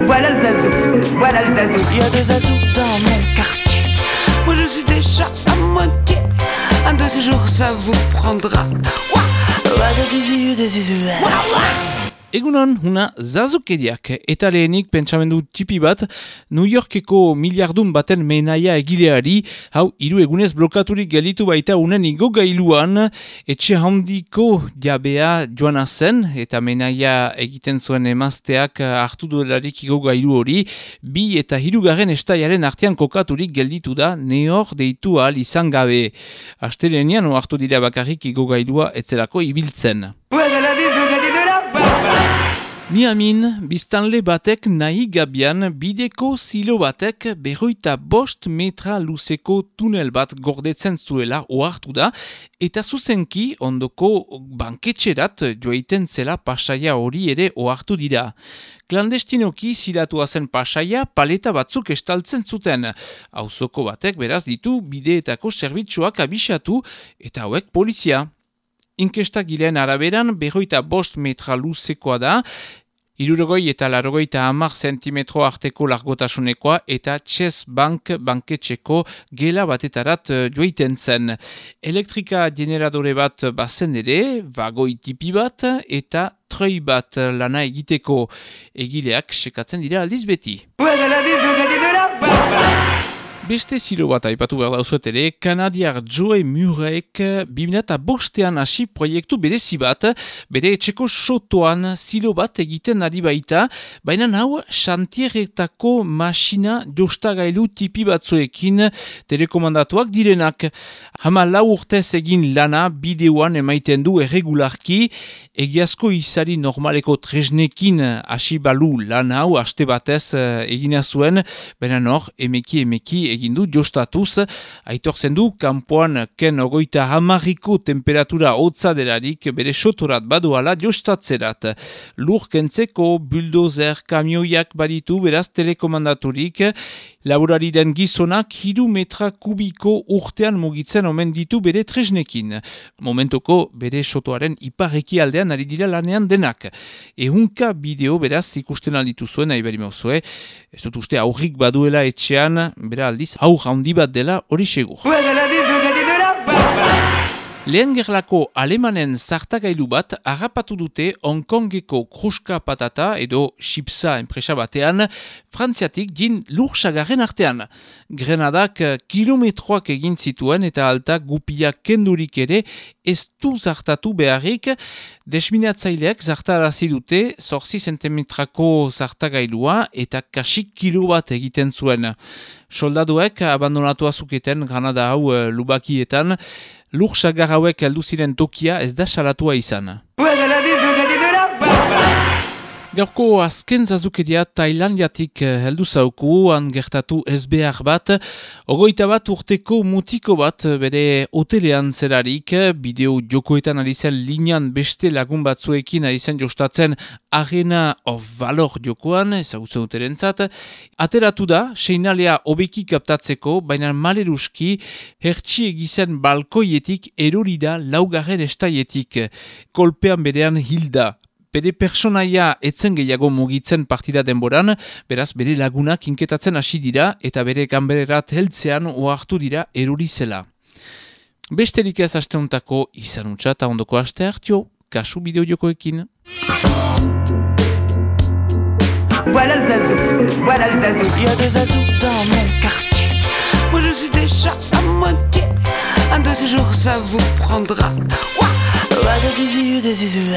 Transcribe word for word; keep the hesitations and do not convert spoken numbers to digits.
Voilà le zazou, voilà le zazou. Il y a des zazous dans mon quartier. Moi je suis déjà à moitié. Un de ces jours ça vous prendra. Egunon, huna zazukeriak, eta lehenik pentsamendu tipi bat, New Yorkeko miliardun baten menaia egileari, hau hiru egunez blokaturik gelditu baita unen igogailuan, etxe handiko jabea joana zen, eta menaia egiten zuen emazteak hartu duelarik igogailu hori, bi eta hirugarren estaiaren artean kokaturik gelditu da, nehor deitu ahal izan gabe. Astelenian hartu dira bakarrik igogailua etzelako ibiltzen. Miamin, biztanle batek nahi gabian bideko zilo batek berroita bost metra luzeko tunel bat gordetzen zuela ohartu da, eta zuzenki ondoko banketxerat joaiten zela pasaia hori ere ohartu dira. Klandestinoki zilatua zen pasaia paleta batzuk estaltzen zuten. Auzoko batek beraz ditu bideetako zerbitzuak abisatu eta hauek polizia. Inkestagileen araberan berroita bost metra luzekoa da, hirurogei eta laurogeita hamar zentimetro arteko largotasunekoa eta Chase Bank banketxeko gela batetarat joiten zen. Elektrika generadore bat bazen ere, vagoi tipi bat eta troi bat lana egiteko. Egileak sekatzen dira aldiz beti. Beste zilo bat aipatu behar dauzuet ere, kanadiar Joe Murrayk bi mila bostean hasi proiektu berezi bat, bere etxeko sotoan zilo bat egiten ari baita, baina hau xantierretako masina jostagailu tipi batzuekin telekomandatuak direnak. Hama lau urtez egin lana bideoan emaiten du erregularki, egiazko izari normaleko tresnekin hasi balu lana hau aste batez egina zuen, baina nor, emeki emeki egin du jostatuz, aitortzen du kanpoan ken ogoita hamarriko temperatura hotza delarik bere sotorat badoala jostatzerat. Lur kentzeko bulldozer kamioiak baditu beraz telekomandaturik, laborari den gizonak hiru metra kubiko urtean mugitzen omen ditu bere tresnekin. Momentoko bere sotoaren iparreki aldean ari dira lanean denak. Ehunka bideo beraz ikusten alditu zuen, nahi beri mauzue, ez dut uste aurrik baduela etxean, bera aldiz aur handi bat dela hori segur. Lehen gerlako alemanen zartagailu bat harrapatu dute Hong Kongeko kruska patata edo chipsa enpresa batean, frantziatik din lursagarren artean. Grenadak kilometroak egin zituen eta alta gupiak kendurik ere ez du zartatu beharrik, desminatzaileak zartarazi dute zortzi zentimetrako zartagailua eta kasik kilo bat egiten zuen. Soldaduek abandonatu azuketen Granada hau uh, lubakietan, lur sagar hauek heldu ziren tokia ez da salatua izan. Gaurko azken zazukeria Tailandiatik heldu zauku, han gertatu ez behar bat, ogoita bat urteko mutiko bat bere hotelean zelarik, bideo jokoetan ari zen linean beste lagun batzuekin ari zen jostatzen Arena of Valor jokoan, ezagutzen uterentzat, ateratu da, seinalea hobeki kaptatzeko, baina maleruski, hertsi egizen balkoietik erori da laugarren estaietik, kolpean berean hilda. Bere personaia etzen gehiago mugitzen partida denboran, beraz bere lagunak inketatzen hasi dira eta bere ganbererat heltzean ohartu dira erori zela. Besterik ez asteuntako izan utza eta ondoko aste hartio, kasu bideojokoekin. Voilà le zazou, voilà le zazou. Il y a des zazous dans mon quartier. Moi je suis déjà à moitié. Un de ces jours ça vous prendra. Ouah, ouah, des yeux, des yeux.